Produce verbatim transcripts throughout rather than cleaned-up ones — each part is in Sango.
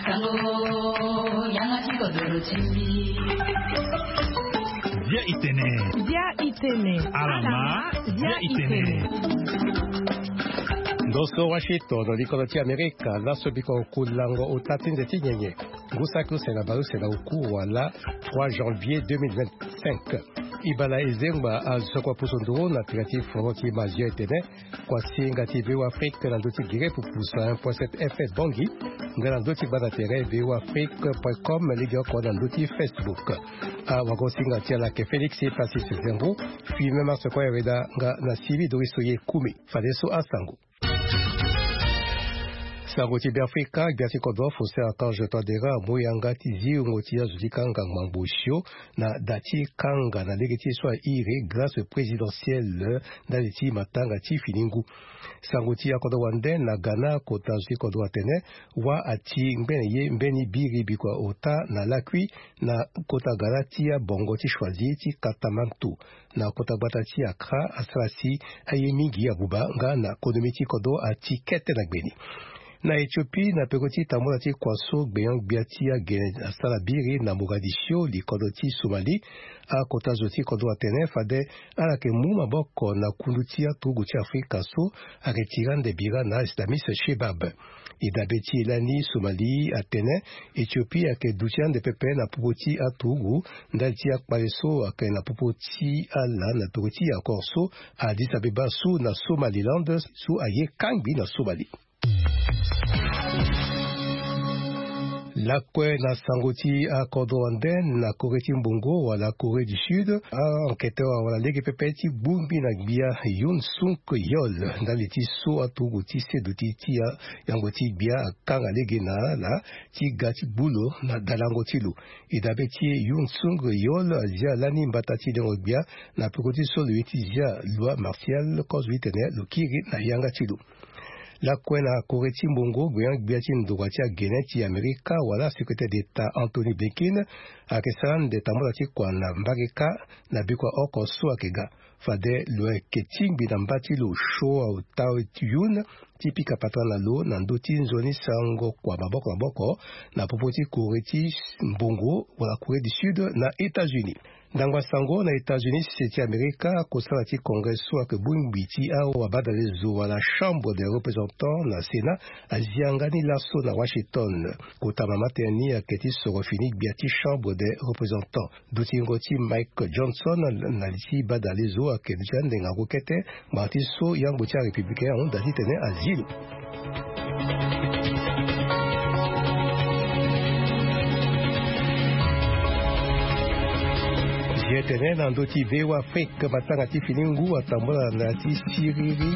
Sango, yanga ti kodoro ti mbi. Bia itene. Bia itene. Alama, bia itene. Ndo so Washington, likolo ti Amerika, laso biko kulango ota ti nze ti nyenye. Ngu saki use na bale use na oku wala trois janvier deux mille vingt-cinq. Ibala ezengba azokua pusu nduru na tira ti foro ti mazio etene. Kuasinga ti V O A Afrique na ndö ti gere pupusa un point sept F S Bongi, nga na ndö ti gbanda tere V O A Afrique point com, lege oko na ndö ti Facebook. Awagosinga ti ala ayeke Félix Francis Zengo, fui même asekua ereda nga na Sylvie Doris Oye Kumi. Fadeso asango. Sango ti Beafrika, gbia ti kodro Faustin Archange Touadéra amu yanga ti zi wungo ti azo ti kanga ngbangbo osio na da ti kanga na lege ti ye so airi grâce présidentielle ndali ti matanga ti fini ngu. Sango ti akodro wande na Ghana, kota zo ti kodro atene wâ ati ngbene ye mbeni biri bikua ota na lakui na kota Ghana ti abongo ti Choisy ti Katamanto. Na kota gbata ti Accra asara si aye mingi abuba nga na konomi ti kodro ati kete na gbeni. Na Éthiopie, na peko ti tambula ti kua so gbenyo-gbia ti agene asara biri na Mogadiscio, likodro ti Somalie, akota zo ti kodro atene fade ala yeke mu maboko na kundu ti aturugu ti Afrika so ayeke tiri ande bira na islamiste Shebab. E dabe ti e lani Somalie atene Éthiopie ayeke duti ande pepe na popo ti aturugu ndali ti akpale so ayeke na popo ti ala na peko ti accord so Addis Abeba so na Somaliland so aye kangbi na Somalie. Lakue na sango ti akodro wande na Corée ti mbongo wala Corée du Sud, a-enquêteur wala lege pepe ti gbungbi na gbia Yoon Suk Yeol ndali ti so aturugu ti seduti ti a- yango ti gbia akanga lege na ala ti ga ti gbu lo na dalango ti lo. E dabe ti e Yoon Suk Yeol azia lani mbata ti lengo gbia na peko ti so lo ye ti zia loi martiale kozo ti tene lo kiri na yanga ti lo. Lakue na Corée ti mbongo, gbenyo-gbia ti ndokua ti agene ti Amerika wala secrétaire d'État Anthony Blinken ayeke sara ande tambula ti kua na mbage kâ na bikua oko so ayeke ga. Fade lo yeke tingbi na mba ti lo Cho Tae-yoon ti pika patara na lo na ndö ti nzoni sango kua maboko maboko na popo ti Corée ti mbongo wala Corée du Sud na États-Unis. Ndangba sango na États-Unis, sese ti Amerika, kosala ti Congrès so ayeke bongbi ti awabadale zo wala Chambre des Représentants na Sénat azia nga ni laso na Washington. Kota mama tënë ni ayeke ti soro fini gbia ti Chambre des Représentants. Dutingo ti Mike Johnson na li ti badale zo ayeke duti ande ngangu kete, ngbanga ti so yangbo ti arépublicain ahunda titene azi lo. Zi etene na ndö ti V O A Afrique, matanga ti fini ngu atambula na ya ti siriri.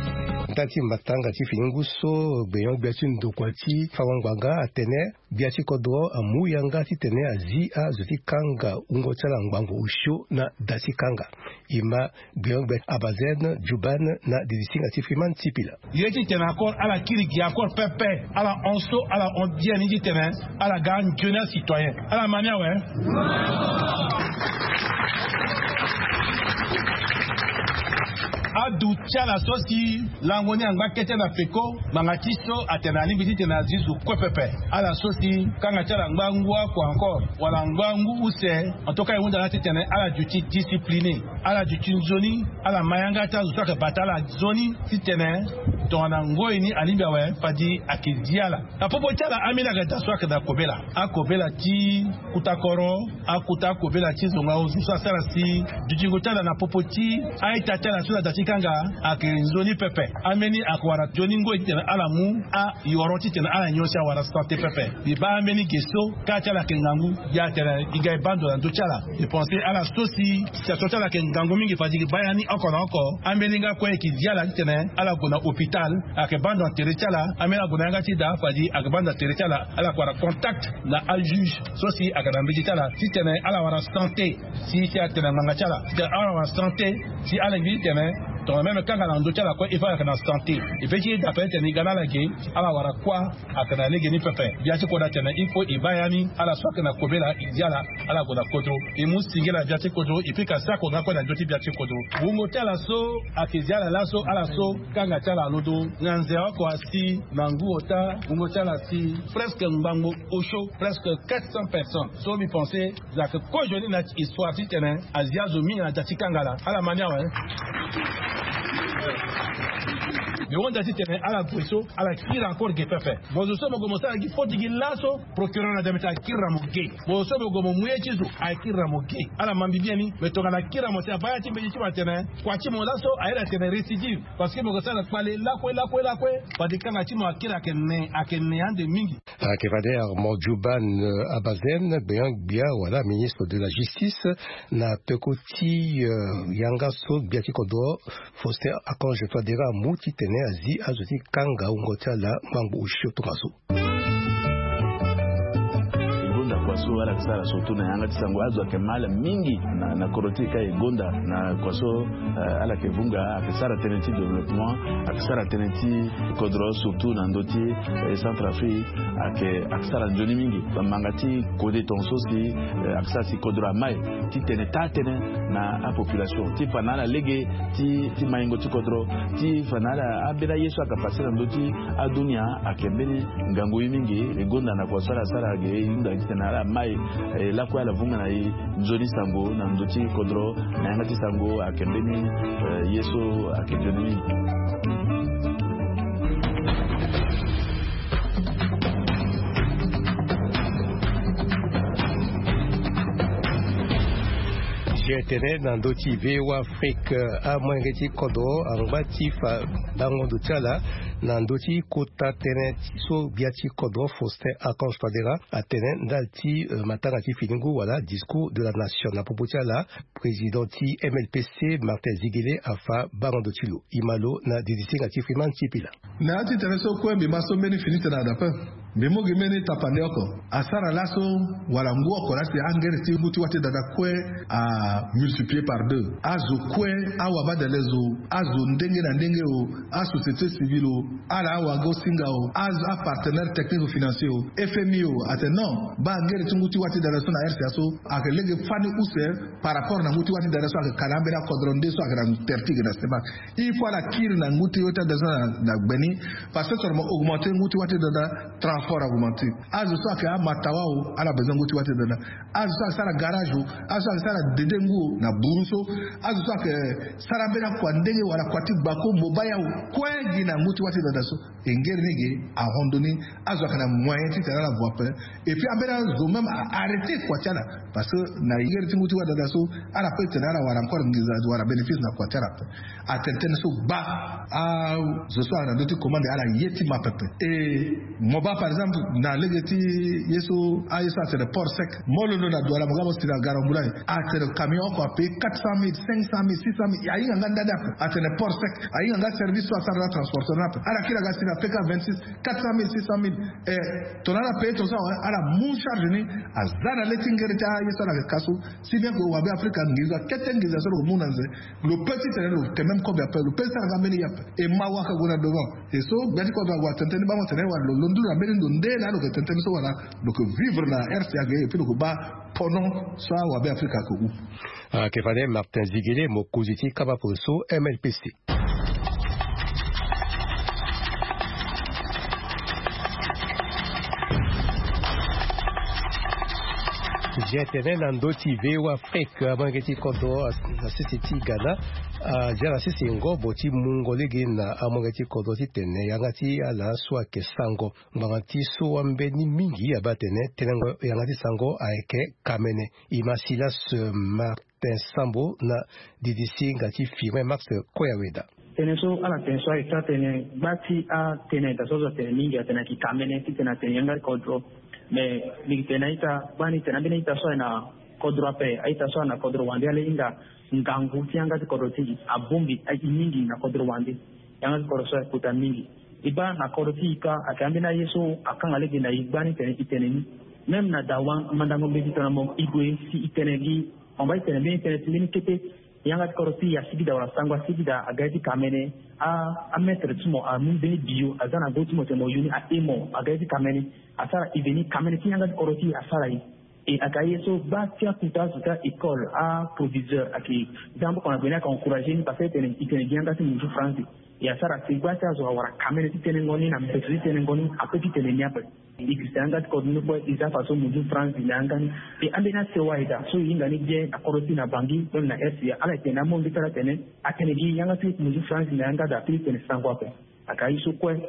Ndali ti matanga ti fini ngu so, gbenyo-gbia ti ndokua ti fango ngbanga atene gbia ti kodro amu yanga titene azi azo ti kanga wungo ti ala ngbangbo osio na da ti kanga. E ma gbenyo-gbia Abazen Juban na didisinga ti Freeman Sipila. Ye titene accord ala kiri gi accord pepe, ala hon so ala hon biani titene ala ga nzoni acitoyen. Ala ma ni awe. Aduti ala so si lango ni angba kete na peko, ngbanga ti so atene alingbi titene azi zo kue pepe. Ala so si kanga ti ala ngba ngu akua encore wala ngba ngu use, en tout cas e hunda ala titene ala duti discipliné, ala duti nzoni, ala ma yanga ti azo so ayeke bata ala nzoni titene tongana ngoi ni alingbi awe, fadi ayeke zi ala. Na popo ti ala, ambeni ayeke da so ayeke da kobela, akobela ti kuta koro, akuta akobela ti zonga ozo so asara si dutingo ti ala na popo ti a-ita ti ala so na da ti kanga ayeke nzoni pepe. Ambeni ayeke wara nzoni ngoi titene ala mu ayoro titene ala nyon si awara santé pepe. Mbi baa ambeni ge so kâ ti ala ayeke ngangu, ya tene e ga e baa ndo na ndö ti ala. E pense ala so si situation ti ala ayeke ngangu mingi, fadi e baa ya ni oko na oko. Ambeni nga kue e yeke zi ala titene ala gue na hôpital, ayeke baa ndo na tere ti ala. Ambeni ague na yanga ti da, fadi ayeke baa ndo na tere ti ala. Ala yeke wara contact na ajuge so si ayeke na mbeti ti ala titene ala wara santé, si si atene na ngbanga ti ala titene ala wara santé, si ala lingbi titene Tongana même kanga na ndö ti ala kue, il faut ayeke na santé. E pe ti dape tene e ga na ala ge, ala wara kuâ. Ayeke na lege ni pepe. Gbia ti kodro atene il faut e baa ya ni, ala so ayeke na kobela e zi ala, ala gue na kodro. E mu singila gbia ti kodro, e pika sako nga kue na ndö ti gbia ti kodro. Wungo ti ala so ayeke zi ala laso, ala so kanga ti ala alondo. Nganze oko asi na ngu ota, wungo ti ala asi presque ngbangbo osio, presque quatre cents personnes. So mbi pense, za yeke kozo ni na histoire titene azi azo mingi na da ti kanga laa. Ala ma ni awe. Mbi hunda titene ala gue so, ala kiri encore ge pepe. Bon, zo so mo gue mo sara gi faute gi laso, procureur na da mbi tene akiri na mo ge. Bon, zo so mo gue mo mu ye ti zo, akiri na mo ge. Ala ma mbi bien ni. Me tongana akiri na mo si abaa ya ti mbeti ti mo atene kua ti mo laso aye na tene récidive. Parce que mo ke sara kpale lakue lakue lakue. Fade kanga ti mo akiri ayeke ne, ayeke ne ande mingi. Ayeke fade Armand Djouban, euh, Abazène, gbenyo-gbia wala ministre de la justice, na peko ti, euh, yanga so gbia ti kodro Faustin Archange Touadéra amu titene azi azo ti kanga wungo ti ala ngbangbo osio tongaso. E gonda kua so ala yeke sara surtout na yanga ti sango, azo ayeke mal mingi na, na kodro ti e ka e gonda na kua so, eh, ala yeke vunga, ayeke sara tënë ti développement, ayeke sara tënë ti kodro surtout na ndö ti, eh, Centrafrique, ayeke, ayeke sara nzoni mingi. Bamanga ti kode tongaso si, eh, ayeke sara si kodro amai titene taa tënë na apopulation ti fa na ala lege ti, ti maingo ti kodro, ti fa na ala ambeni aye so ayeke pase na ndö ti adunia. Ayeke mbeni ngangu ye mingi. E gonda na kua so ala sara ge, e hunda titene ala mai, eh, lakue ala vunga na e nzoni sango na ndö ti kodro. Na yanga ti sango ayeke mbeni, eh, ye so ayeke nzoni mingi. G T N na ndö ti V O A Afrique, amolenge ti kodro angba ti fa bango ndo ti ala na ndö ti kota tënë so gbia ti kodro Faustin Archange Touadéra atene ndali ti, eh, matanga ti fini ngu wala discours de la nation. Na popo ti ala, président ti M L P C Martin Ziguélé afa bango ndo ti lo. E ma lo na didisinga ti Freeman Sipila. Na ya ti tene so kue mbi ma so mbeni fini tene na dape. Mbi mu gi mbeni tapande oko. Asara laso wala ngu oko laa si angere ti ngu ti wâ ti dada kue amultiplier par deux. Azo kue, awabadale zo, azo ndenge na ndenge o, asociété civile o, ala awago-singa o, azo apartenaire technique financier o, F M I o, atene non, baa angere ti ngu ti wâ ti dada so na R C A so ayeke lege fani use par rapport na ngu ti wâ ti dada so ayeke ka na ambeni akodro nde so ayeke na tere ti ge na semak. Il faut ala kiri na ngu ti wâ ti dada so na, na gbe ni. Parce que seulement augmenter ngu ti wâ ti dada, transport augmenter. Azo so ayeke amatawa o, ala besoin ngu ti wâ ti dada. Azo so ayeke sara garage o, azo so ayeke sara dede ngu o na buru so, azo so ayeke sara mbeni akua ndenge wala kua ti gbako mo baa ya o, kue gi na ngu ti wâ ti dada so. E ngere ni ge ahon ndo ni. Azo ayeke na moyen titene ala gue ape. Et puis ambeni azo même a arrêter kua ti ala. Parce que na ngere ti ngu ti wâ dada so, ala pe tene ala wara encore nginza wala bénéfice na kua ti ala ape. Atene tënë so gba. Azo so ala na ndö ti commande ala ye ti ma pepe. E mo baa par exemple na lege ti ye so, aye so atene port sec. Mo londo na Douala mo ga mo si na Garambula, atene camion oko apaye quatre cent mille, cinq cent mille, six cent mille. Ahinga nga ndani ape. Atene port sec. Ahinga nga service so asara na transporteur ni ape. Ala kiri aga si na P K vingt-six, quatre cent mille, six cent mille. E tongana ala paye tongaso awe, ala mu charge ni aza na le ti ngere ti aye so ala yeke ka so. Si bien que wabe Afrika nginza kete nginza so lo mu na nze, lo pe titene lo yeke même kobe ape, lo pe sara nga mbeni ye ape. E mawa ayeke gue na devant. E so gbia ti kodro ague atene tënë ni bango tene wala lo londo na mbeni ndo nde laa lo yeke tene tënë so wala lo yeke vivre na R C A ge, et puis lo yeke baa pono so awabe Afrika ayeke hu. Ayeke fade Martin Ziguélé, mokonzi ti kapa pono so M L P C. G T N na ndö ti V O A Afrique, amolenge ti kodro na sese ti Ghana aza na sese ngobo ti mungo lege na amolenge ti kodro titene yanga ti ala so ayeke sango ngbanga ti so ambeni mingi abaa atene tenengo yanga ti sango ayeke kamene. E ma Silas Martin Sambo na didisinga ti Firmin Max Koyaweda. Tënë so ala tene so ayeke taa tënë, gba ti atënë daa so azo atene mingi atene ayeke kamene titene atene yanga ti kodro. Me mbi yeke tene na ita gbani tene ambeni ita so aye na kodro ape, a-ita so aye na kodro wande ala hinga ngangu ti yanga ti kodro ti e abongbi aye mingi na kodro wande. Yanga ti kodro so aye kota mingi. E baa na kodro ti e kâ ayeke ambeni aye so akanga lege na e gbani tene e tene ni. Même na dawa mandango mbeti tongana mo e gue si e tene gi, mo baa e tene mbeni tënë ti mbeni kete. Yanga ti kodro ti e asigi daa wala sango asigi daa aga ye ti kamene. Amaître ti mo amu mbeni bio aza na go ti mo tene mo yu ni ahe mo aga ye ti kamene. Asara ide ni kamene ti yanga ti kodro ti e asara e. E aka ye so gba ti akuta azo ti a-école aproviseur ayeke za mboka na gue ni ayeke encourager ni parce que e tene e tene gi yanga ti munzu franzi. E asara si gba ti azo awara kamene ti tenengo ni na mbeto ti tenengo ni ape ti tene ni ape. E gi si na yanga ti kodro ni kue e za faso munzu franzi na yanga ni. E ambeni asewa eda so e hinga ni bien na kodro ti e na bangi kue na rca ala e tene na amongi ti ala tene atene gi yanga ti munzu franzi na yanga daa ti tene sango ape. Aka ye so kue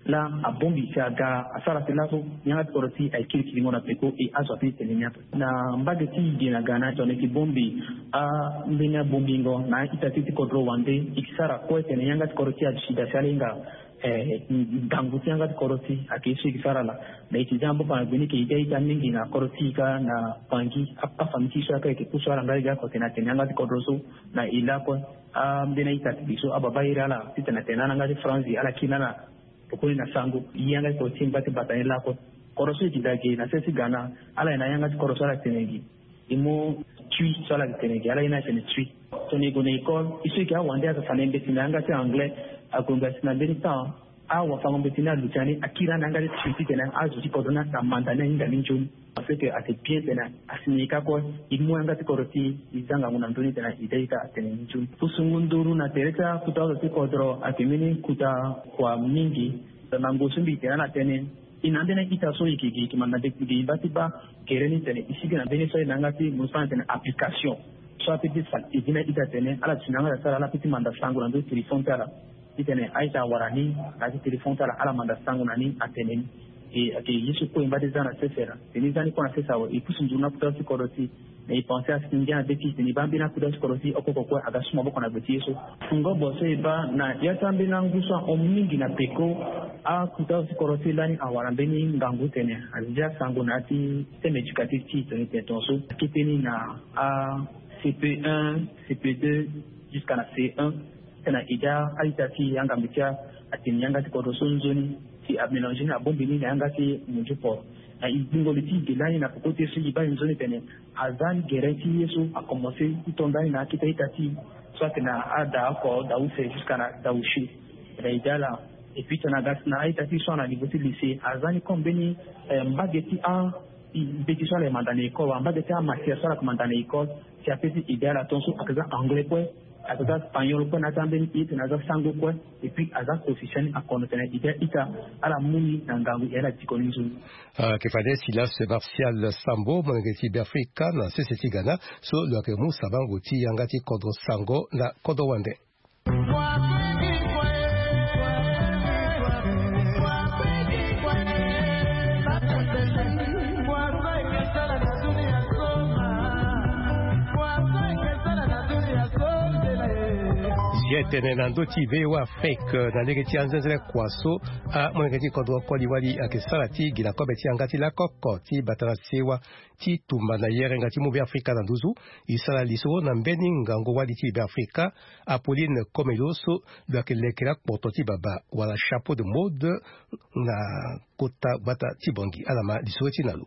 laa abongbi si aga asara si laso yanga ti kodro ti e aye kiri kiringo na peko e azo ape ti tene ni ape. Na mbage ti e gi na ga na tongana e yeke bongbi ambeni abongbingo na a-ita ti e ti kodro wande e ke sara kue tene yanga ti kodro ti e aduti daa si ala hinga ngangu ti yanga ti kodro ti e ayeke ye so e ke sara laa. Na e ti za mboka na gue ni e ke ida ita mingi na kodro ti e kâ na bangi. Afamille ti e so ayeke pusu ala nga e ga ako tene atene yanga ti kodro so na e lakue. Ambeni a-ita ti e so ababa iri ala titene atene na ala nga ti franzi ala kiri na ala. Pokoni na sango yanga ti kodro ti e ngba ti bata ni lakue. Kodro so e ti daa ge na sese ti ga na ala ye na yanga ti kodro so ala tene gi. E mu tui so ala tene gi ala ye na atene tui. Tongana e gue na école e so e ke awande asasa na e mbeti na yanga ti anglais. Ague ngba si na mbeni temps awafango mbeti ni aluti ani akiri ani na yanga ti tui titene azo ti kodro ni amanda ni ahinga ni nzoni. Parce que ate bien tene asi na e kâ kue e mu yanga ti kodro ti e e za ngangu na ndö ni tene e daa ita atene ni nzoni. Pusungu nduru na tere ti akuta azo ti kodro ayeke mbeni kuta kua mingi. Na ngu so mbi tene ala tene e na ambeni a-ita so e yeke gi e yeke manda mbeti gi e baa ti baa gere ni tene e sigi na mbeni so aye na yanga ti mo so atene application so ape ti fa e gi na a-ita tene ala ti na yanga ti asara ala ape ti manda sango na ndö ti téléphone ti ala. Titene a-ita awara ni na ya ti téléphone ti ala ala manda sango na ni atene ni. E ayeke ye so kue e ngba ti za na sese laa tene e za ni kue na sese awe e pusu nduru na akuta ti kodro ti e. Na e pense asi ngia na be ti e tene e baa mbeni akuta ti kodro ti e oko oko kue aga su maboko na gbe ti ye so. Fungo bo so e baa na ya ti ambeni angu so ahon mingi na peko. Akuta ti kodro ti e lani awara mbeni ngangu tene azi ti asango na ya ti système éducatif ti e tongana e tene tongaso akete ni na a cp un, cp deux, jusqu'à na c un. Tena ida a-ita ti e angambe ti atene yanga ti kodro so nzoni si amélange ni abongbi ni na yanga ti munzu poro. Na e gbingo li ti e ge lani na peko ti e so e baa e nzoni tene aza ni gere ti ye so akomanse ti to nda ni na akete a-ita ti e so atene ada oko da use jusqu'à na da use. Na ida ala. Et puis tena aga si na a-ita ti e so ana niveau ti lycée aza ni comme mbeni mbage ti a mbeti so ala ye manda na école wala mbage ti amatière so ala yeke manda na école. Si ape ti ide ala tongaso ayeke za anglais kue, ayeke za spagnol kue na ya ti ambeni e tene aza sango kue. Et puis aza kosi si ani akono tene ide a-ita ala mu ni na ngangu e ala diko ni nzoni. Ayeke fade silas martial sambo molenge ti beafrika na sese ti ghana so lo yeke mu sabango ti yanga ti kodro sango na kodro wande. Zia etene na ndö ti voa afrique na lege ti anzenzele kua so amolenge ti kodro koli wali ayeke sara ti gi na kobe ti yanga ti lakoko ti bata na sewa ti tumba na yerenga ti mu beafrika na nduzu. E sara li so na mbeni ngangu wali ti beafrika. Apolline komelo so lo yeke leke lakpoto ti baba wala chapeau de mode na kota gbata ti bongi ala ma lisoro ti na lo.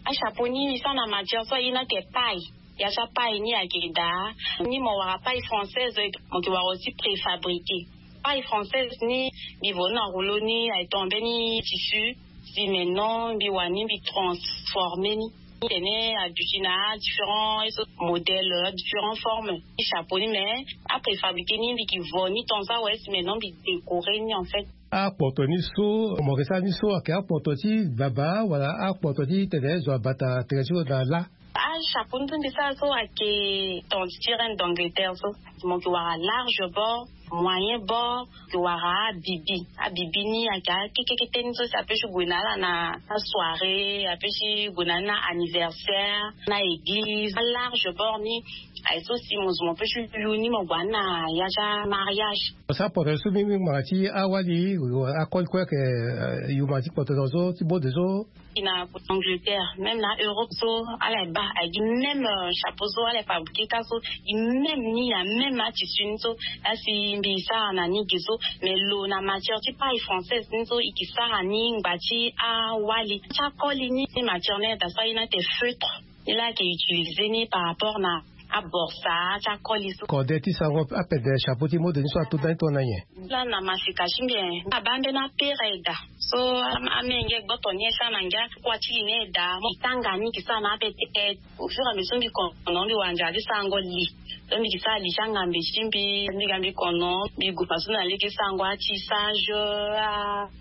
Achapeau ni e sara na matière so aye ni ake paille. Ya ti apaille ni ayeke daa ni mo wara paille française. Mo yeke wara aussi préfabriqué. Paille française ni mbi vo ni na rouleau ni aye tonga mbeni tissu. Si maintenant mbi wani mbi transformer ni tene aduti na différents modèles différentes formes. Ti chapeau ni mais apréfabriqué ni mbi ki vo ni tonga so awe si maintenant mbi décorer ni en fait. Akpoto ni so mo yeke sara ni so ayeke akpoto ti baba wala akpoto ti tene zo abata tere ti lo na la? Achapeau ni so mbi sara so ayeke tonga ti reine d'angleterre so. Mo yeke wara large bord, moyen bord, mo yeke wara abibi. Abibi ni ayeke akekekete ni so si ape ti gue na ala na asoirée ape ti gue na ni na anniversaire na église. Alarge bord ni aye so si mo zo mo pe ti yu ni mo gue na ya ti amariage. Sa poto so mingi ngbanga ti awali akoli kue ayeke yuma ti poto na zo ti bode so. I na angleterre même na europe so ala ye baa aye gi même chapeau so ala ye fabriqué ka so. I même ni na même atissu ni so asi mbi sara na ni ge so. Mais lo na matière ti paille française ni so i ke sara ni ngba ti awali ti akoli ni matière ni ata so aye ni ate feutre. Ni la ayeke utiliser ni par rapport na aborsa ti akoli so. Kode ti sango apede chapeau ti mode ni so ato ndani tongana nyen? Laa na masika ti mbi, abaa mbeni apere aye daa. So amenge gboto ni aye sara na ngia kua ti li ni aye daa. Mo tanga ni ki sara na ape te. Au fur et à mesure mbi kono mbi wara nzara ti sango li. So mbi ki sara li ti angambe ti mbi, mbi ga mbi kono mbi gue faso na lege ti sango atissage,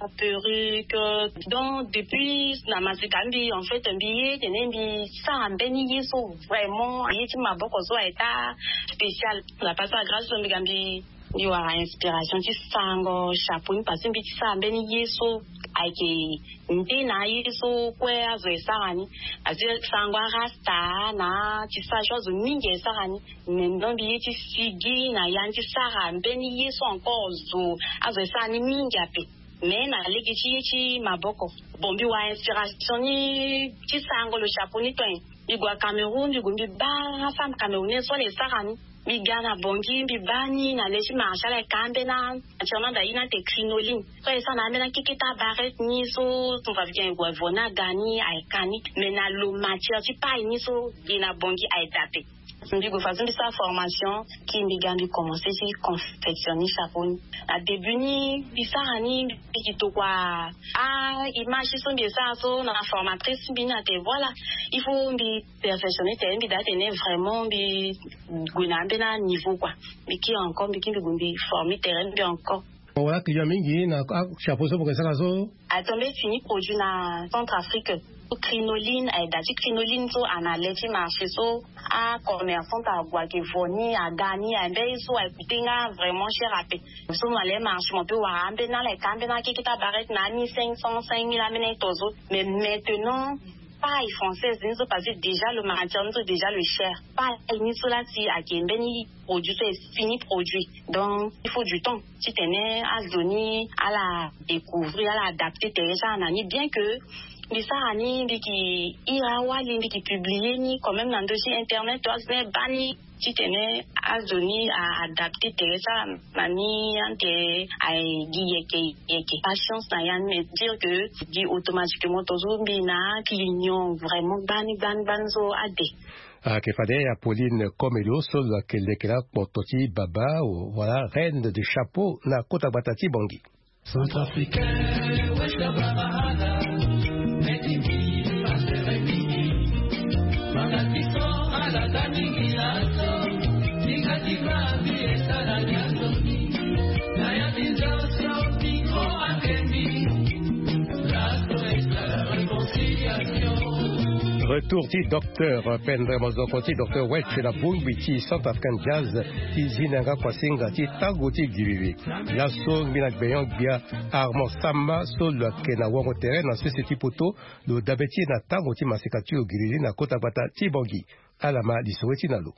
aperruque. Donc depuis na masika mbi en fait mbi ye tene mbi sara mbeni ye so vraiment ye ti maboko so aye ta spécial. Na pasa grâce so mbi ga mbi mbi wara inspiration ti sango chapeau ni parce que mbi ti sara mbeni ye so ayeke nde na aye so kue azo e sara ni. Parce que sango arasta na ti sara so azo mingi e sara ni. Maintenant mbi ye ti sigi na ya ni ti sara mbeni ye so encore zo azo e sara ni mingi ape. Mais na lege ti ye ti maboko. Bon mbi wara inspiration ni ti sango lo chapeau ni to. Mbi gue na Cameroun mbi gue mbi baa femme camerounaise so ala e sara ni. Mbi ga na Bangui mbi baa ni na le ti marché ala e ka ambeni, entièrement da ye ni ate crinoline. So aye sara na ambeni akeke ti abarete ni so tumba mbi ga mbi gue vo ni aga ni aye ka ni. Mais na lo matière ti paille ni so ge na Bangui aye daa ape. Mbi gue faso mbi sara formation ki mbi ga mbi commencer ti confectionner chapeau ni. Na début ni mbi sara ni mbi ki tokua a image so mbi e sara so na formatrice mbi ni ate voilà il faut mbi perfectionner tere mbi daa tene vraiment mbi gue na ambeni aniveau kua. Mbi kiri encore mbi kiri mbi gue mbi former tere mbi encore. Bon wala client mingi na achapeau so boke sara so? Atombe fini produit na Centrafrique. Crinoline aye daa ti crinoline so ana le ti marché so acommerçante ague ake vo ni aga ni aye mbeni so aye coûter nga vraiment cher ape. So na le marché mo pe wara ambeni ala eka ambeni akeke ti abarete na ani cinq cents cinq mille ambeni aye to so. Mais maintenant paille française ni so parce que déjà le matière ni so déjà le cher. Paille ni so la si ake mbeni produit so est fini produit. Donc il faut du temps titene azo ni ala découvrir ala adapter tere ti ala na ni bien que mbi sara ni mbi ki ira wali mbi ki publier ni quand même na ndo ti internet to azo ni baa ni titene azo ni a adapter tere ti ala na ni ante aye gi yeke yeke patience na ya ni mais dire que gi automatiquement to so mbi na client vraiment gbani gbani gbani so ade. Ake fade ya Pauline Komelo so lo ake leke la kpoto ti baba wala reine de chapeau na kota gbata ti Bangui. Centrafricain, West Sahara, made in Guinea, Pasteur Emini. Manga ti so ala ga mingi na so, ni ga ti ba bi e sara ni azo ni. Na ya ti nzo so, ni ko akemi. Retour ti docteur Pendre Mozoko ti docteur Welch na bongbi ti Centrafrican Jazz ti zi na yanga kuasinga ti tango ti giriri. Laso mbi na gbenyon-gbia Armand Sama so lo yeke na wango tere na sese ti poto lo dabe ti e na tango ti masika ti lo giriri na kota gbata ti Bangui. Ala ma lisoro ti na lo.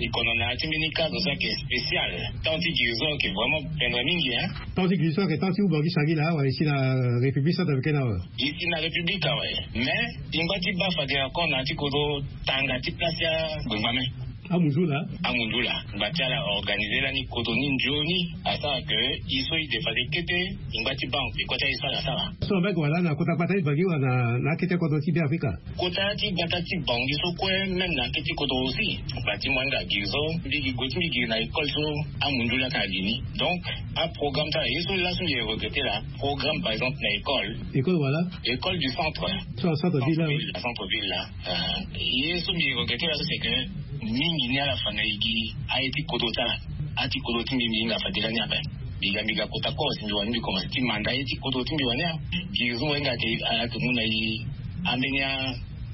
E kono na ya ti mbeni cadre so ayeke spécial. Temps ti guérison ayeke vraiment pendre mingi hein. Temps ti guérison ayeke temps ti huba gi sangila awa e si na République centrafricaine awa. E si na République awe. Mais e ngba ti baa fade encore na ya ti kodro tanga ti place ti agbengba me. Amundula. Amundula ngba ti ala organiser lani kodro ni nzoni. Asara ke e so e de fade kete e ngba ti baa e kota e sara asara. So mbe wala na kota gbata ti Bangui wala na akete kodro ti Beafrika? Kota ti gbata ti Bangui so kue même na akete kodro aussi. Bâtiment nga gi so mbi gi gue ti mbi gi na école so amundu laka ali ni. Donc aprogramme ti ala ye so laso mbi regretter la. Programme par exemple na école. École wala? École du centre. So na centre ville la. Centre ville la. Ye so mbi regretter la so c'est que mingi ni ala fa na e gi aye ti kodro ti ala. Aye ti kodro ti mbi mbi hinga fa de lani ape. Mbi ga mbi ga kota koro si mbi wani mbi commencer ti manda aye ti kodro ti mbi wani. Gi so mbi hinga ake ala ke mu na e ambeni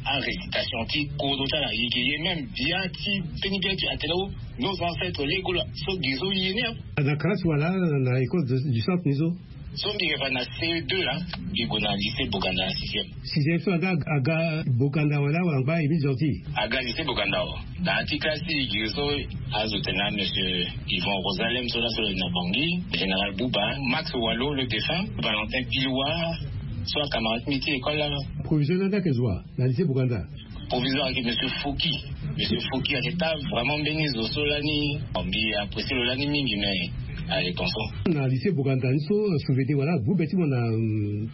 arécitation ti kodro ti ala e ke ye même bia ti mbeni bia ti atene o nos ancêtres lego la so gi so ye ni. Na classe wala na école du centre ni so? So mbi yeke fa na C E deux la. Mbi gue na lycée Boganda na sixième. Sixième so aga aga Boganda wala wala ngba e mbi zordi? Aga lycée Boganda o. Na ya ti classe ti e gi so azo tene na monsieur Yvon Rosalem so laso lo na Bangui, général Bouba, Max Walo le défunt, Valentin Pilois, so acamarade ti mbi ti école la. Proviseur ni anda ake zo wa na lycée Boganda? Proviseur ayeke monsieur Foki. Monsieur Foki ayeke ta vraiment mbeni zo so lani mbi apprécier lo lani mingi mais ayeke ton so. Na lycée Boganda ni so souvenir wala gbu be ti mo na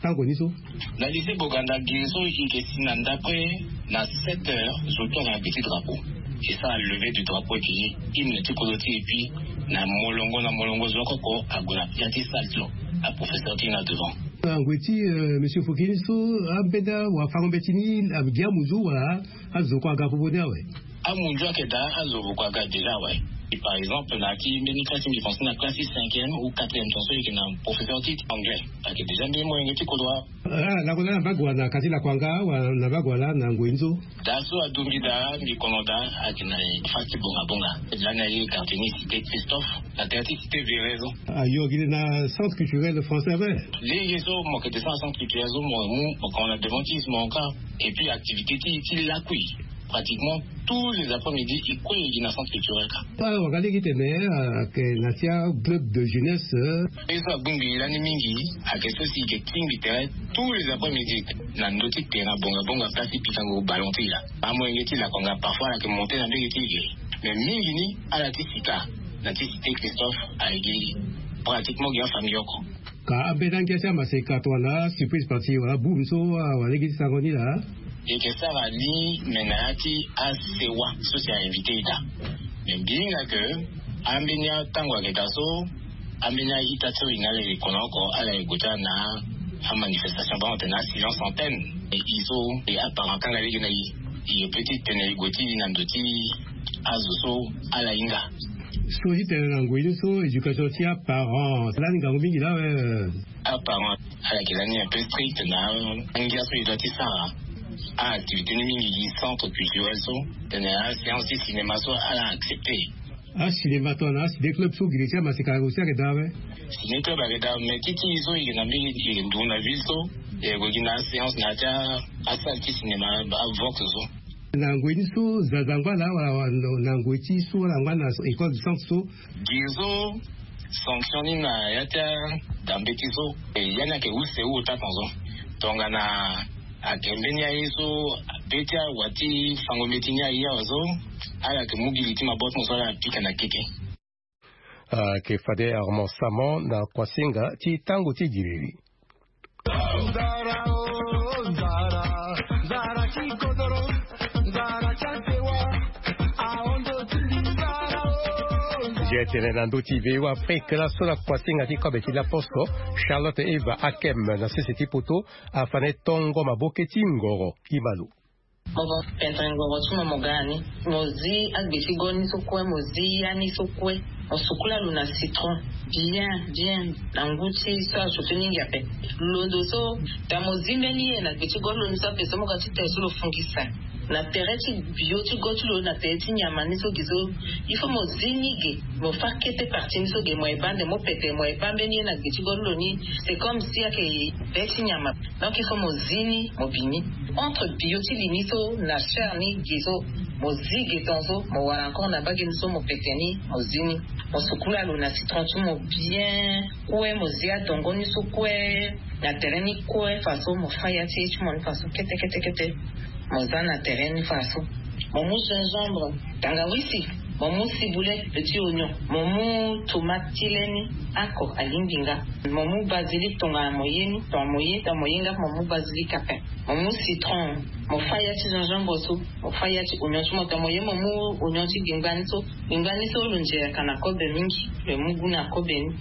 tango ni so? Na lycée Boganda gi so e yeke si na ndapre na sept heures zo ti ayeke na petit drapeau. Esara levée du drapeau ti hymne ti kodro ti e, puis na molongo na molongo zo oko oko ague na ya ti salle so, aprofesseur ti e na devant. Na ngoi ti monsieur Fokini so, ambeni awafango-mbeti ni agi amunzu wala azo kue aga popo ni awe? Amunzu ayeke daa, azo voko aga déjà awe. Par exemple na ya ti mbeni classe ti mbi français na classe ti cinquième ou quatrième, tongaso e yeke na professeur ti anglais, ayeke déjà mbeni molenge ti kodro. Ah, lakue laa na mbage wala na kati lakue anga wala na mbage wala na ngoi ni so? Daa so adombi daa mbi kono daa ayeke na fasi ti bonga bonga. Lani aye quartier ni cité Christophe, na tere ti cité Véret so. Ayo gi na centre culturel français ape. Lege so mo yeke descend na centre culturel so, mo mu mo kono na devant ti ismo ka. Et puis activité ti ti lakui, pratiquement tous les après-midi e kue e gi na centre culturel ka. Ah, wanga lege tene ayeke na ti aclub de jeunesse. Ye so agbongbi lani mingi ayeke so si e yeke tingbi tere tous les après-midi na ndö ti terrain bonga bonga, place ti pikango ballon ti e laa. Amolenge ti lakue anga parfois ala yeke monte na mbege ti e ge. Mais mingi ni ala ti sika na ti cité Christophe ayeke pratiquement gi afamille oko. Ka ambeni angia ti amaseka tongana surprise party wala boum so, ah, wala lege ti sango ni laa? E yeke sara ni, me na ya ti asewa so si a invité e daa. Me mbi hinga ke ambeni atango ayeke daa so, ambeni a-ita ti so e na ala e kono oko, ala e gue ti ala na amanifestation, bango tene asilence antenne. E e so e aparent kanga lege na e, e peut ti tene e gue ti e na ndo ti azo so ala hinga. So ti tene na ngoi ni so éducation ti aparent lani ngangu mingi laa awe. Aparent ala yeke lani un peu strict na angia so e doit ti sara. Aactivité ni mingi gi centre culturel so, tene aséance ti cinéma so ala accepté. Acinéma tongana aciné club so gi le ti amaseka aussi ayeke daa awe? Ciné club ayeke daa, mais ti ti e so e yeke na mbeni e yeke nduru na ville so, e yeke gue gi na aséance na ya ti asalle ti cinéma, avox so. Na ngoi ni so zazangba laa wala na ngoi ti so wala angba na école du centre so? Gi so sanction ni na ya ti adambe ti so, e ya ni ayeke use ota tongaso. Tongana ayeke mbeni aye so be ti awa ti fango mbeti ni aye awe so, ala yeke mu gi li ti maboko ti mo so ala pika na kete. Ayeke fade Armand Saman na kuasinga ti tango ti giriri. Nze tene na ndö ti V O A Afrique laso na kuasinga ti kobe ti laposo, Charlotte Eva Akem na sese ti poto afa na e tongo maboke ti ngoro. Kima lo. Mo va pendre ngoro ti mo, mo ga na ni. Mo zi agbe ti gol ni so kue, mo zi ya ni so kue. Mo sukula lo na citron bien bien na ngu ti so achauffer mingi ape. Londo so, ta mo zi mbeni ye na gbe ti gol lo ni so ape so, mo ga ti tere so lo fungisa na tere ti bio ti gol ti lo, na tere ti nyama ni so gi so. Il faut mo zi ni ge, mo fa kete partie ni so ge, mo ye baa nde mo pete, mo ye baa mbeni ye na gbe ti gol lo ni. C'est comme si ayeke be ti nyama. Donc il faut mo zi ni, mo bi ni. Entre bio ti li ni so na chair ni ge so, mo zi ge tongaso, mo wara encore na mbage ni so, mo pete ni, mo zi ni. Mo sukula lo na citron ti mo bien kue, mo zi adongo ni so kue na tere ni kue faso, mo fa ya ti ye ti mo ni faso kete kete kete. Mo za na tere ni faso. Mo mu gingembre, tangawisi, mo mu ciboulette, petit oignon, mo mu tomate ti le ni, ako alingbi nga. Mo mu basilic tongana mo ye ni, tongana mo ye, tongana mo ye nga mo mu basilic ape. Mo mu citron, mo fa ya ti gingembre so, mo fa ya ti oignon ti mo, tongana mo ye mo mu oignon ti gbingba ni so. Gbingba ni so lo nze yaka na kobe mingi, lo mu gu na kobe ni.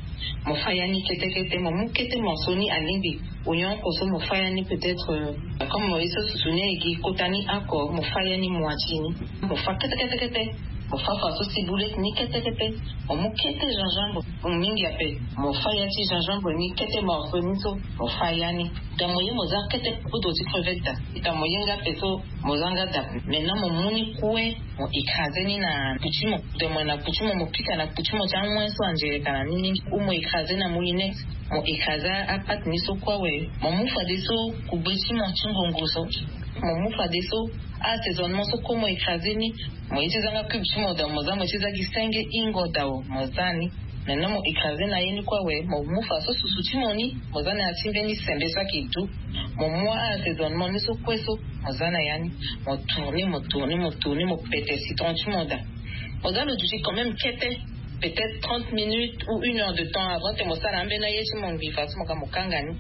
Mo fa ya ni kete kete, mo mu kete morceau ni alingbi. Oignon oko so mo fa ya ni peut-être, euh, comme mo ye so susu ni e gi kota ni oko, mo fa ya ni moitié ni. Mo fa kete kete kete. Mo fa faso ciboulette ni kete kete. Mo mu kete gingembre, mo mingi ape. Mo fa ya ti gingembre ni kete morceau ni so, mo fa ya ni. Donc mo ye mo za kete poudre ti crevette daa. Donc mo ye nga ape so, mo za nga daa. Maintenant mo mu ni kue, mo écraser ni na kpu ti mo. Donc mo na kpu ti mo, mo pika na kpu ti mo ti angoin so anze yaka na ni mingi. Ou mo écraser na moulinex. Mo écraser apate ni so kue awe. Mo mu fadeso kugbe ti mo ti ngongo so. Mo mu fadeso assaisonnement so kue mo écraser ni. Mo ye ti za nga cube ti mo daa, mo za, mo ye ti za gi senge ingo daa, mo za ni. Maintenant mo écraser na ye ni kue awe, mo mu faso susu ti mo ni, mo za na ya ti mbeni sembe so ayeke du. Mo mu assaisonnement ni so kue so, mo za na ya ni. Mo tourner, mo tourner, mo tourner, mo pete citron ti mo daa. Mo za lo duti quand même kete. Peut-être trente minutes ou une heure de temps avant te mo sara ambeni aye ti mo ngbii fa so mo ga mo kanga ni.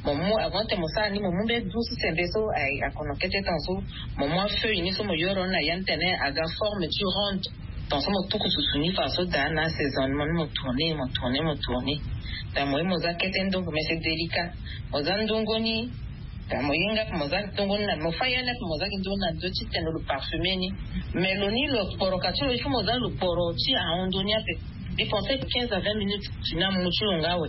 Mo mu avant te mo sara ni mo mu mbeni du ti sembe so aye akono kete temps so. Mo mu afeuille ni so mo yoro ni na ya ni tene aga forme ti ronde. Ton so mo tuku susu ni fa so daa na asaisonement ni mo tourner mo tourner mo tourner. Da mo ye mo za kete ndongo mais c'est délicat. Mo za ndongo ni. Da mo ye nga pe mo za ndongo ni na mo fa ya ni ape mo za gi ndongo ni na ndo ti tene lo parfumer ni. Mais lo ni lo kporo ka ti lo il faut mo za lo kporo ti ahon ni ape. Il pense que quinze à vingt minutes ti na mu ti lo nga awe.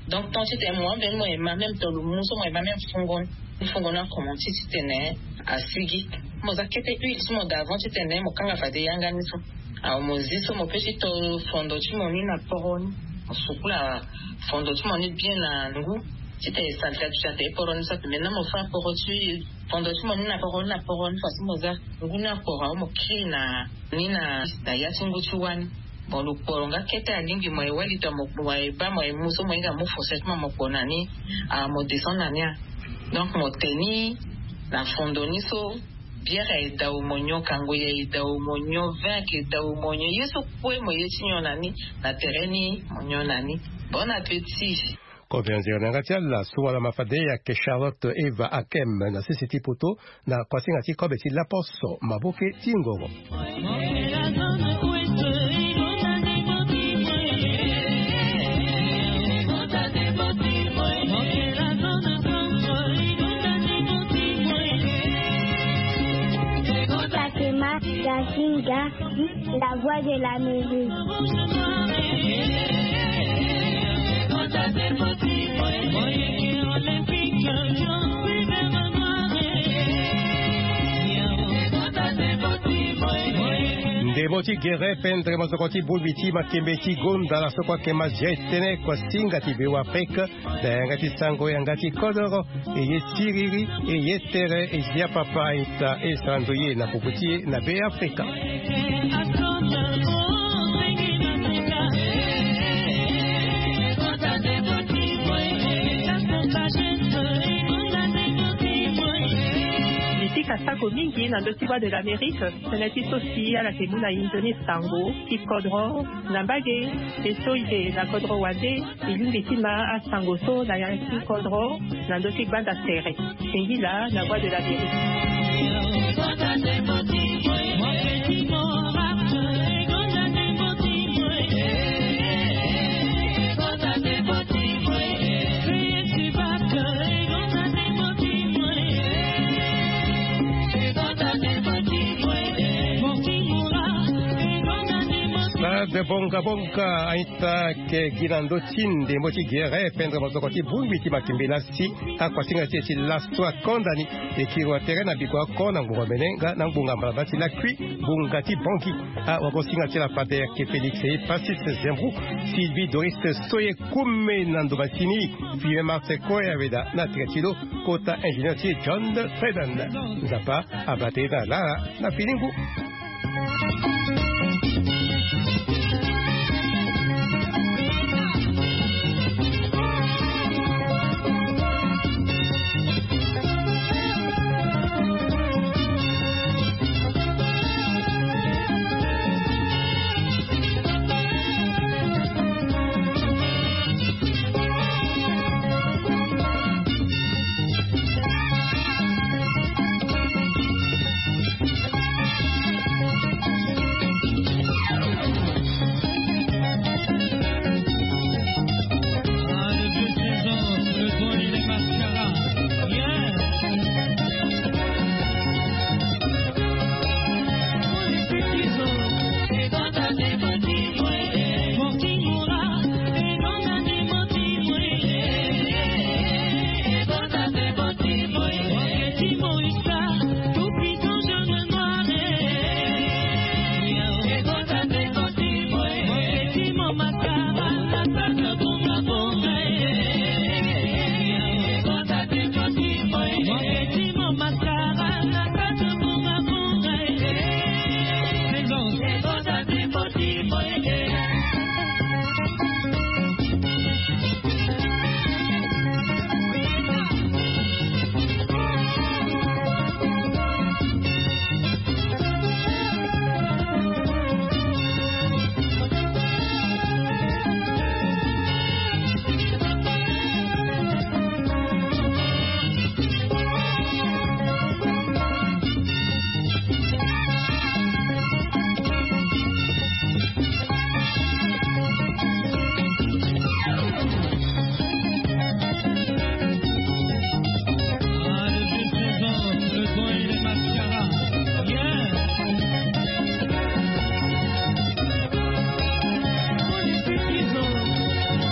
Donc temps ti tene mo ambeni mo ema même to lo mu so mo ema même fungo ni. Fungo ni akomanti ti tene asigi. Mo za kete huile ti mo d'avant ti tene mo kanga fade yanga ni so. Awa mo zi so mo pe ti to fondo ti mo ni na poro ni. Mo sukula fondo ti mo ni bien na ngu ti tene salite atuti ate poro ni so ape maintenant mo fa poro ti fondo ti mo ni na poro ni na poro ni fa so mo za ngu ni akporo awa mo kiri na ni na na ya ti ngu ti wani. Bon lo kporo nga kete alingbi mo ye wali to mo mo ye baa mo ye mu so mo hinga mu fourchette mo mo kpo na ni. Awa mo descend na ni a. Donc mo te ni na fondo ni so. Bière aye dao mo nyon kango ye aye dao mo nyon vin ake dao mo nyon ye so kue mo ye ti nyon na ni. Na tere ni mo nyon na ni. Bon appétit. Kobe anzere na yanga ti ala so wala ma fade ayeke charlotte eva akem na sese ti poto. Na kuasinga ti kobe ti laposo maboke ti ngoro. Fatima Gasinga, la voix de la musique. Ndembo ti gere pendre mosoko ti bongbi ti makembe ti gonda la soko akema zia etene kuasinga ti be wa afrika. Na yanga ti sango yanga ti kodoro. Eye siriri eye tere ezia papa ita esando ye na popo ti ye na be afrika. Li ti ka sako mingi na ndö ti voie de l'amérique. Tënë ti so si ala yeke mu na inzo ni sango ti kodro na mbage. E so e yeke na kodro wande. E lingbi ti ma asango so na yanga ti kodro na ndö ti gbanda tere. Singila na voie de l'amérique. Stade bongabonga aita ke gi na ndö ti ndembo ti gere pendre mosoko ti bongbi ti makimbi lasi. Akuasinga ti e ti laso akonda ni. E kiri wa tere na biko oko na ngbonga mene nga na ngbonga mbalabala ti lakui. Ngbonga ti bongi. Awagosinga ti la fade ayeke félix e pasis zembru. Sylvie doris soye kume na ndo masini. Fime marse koe aweda na tere ti lo. Kota ingénieur ti e john freden. Nzapa abate na lara na filingu.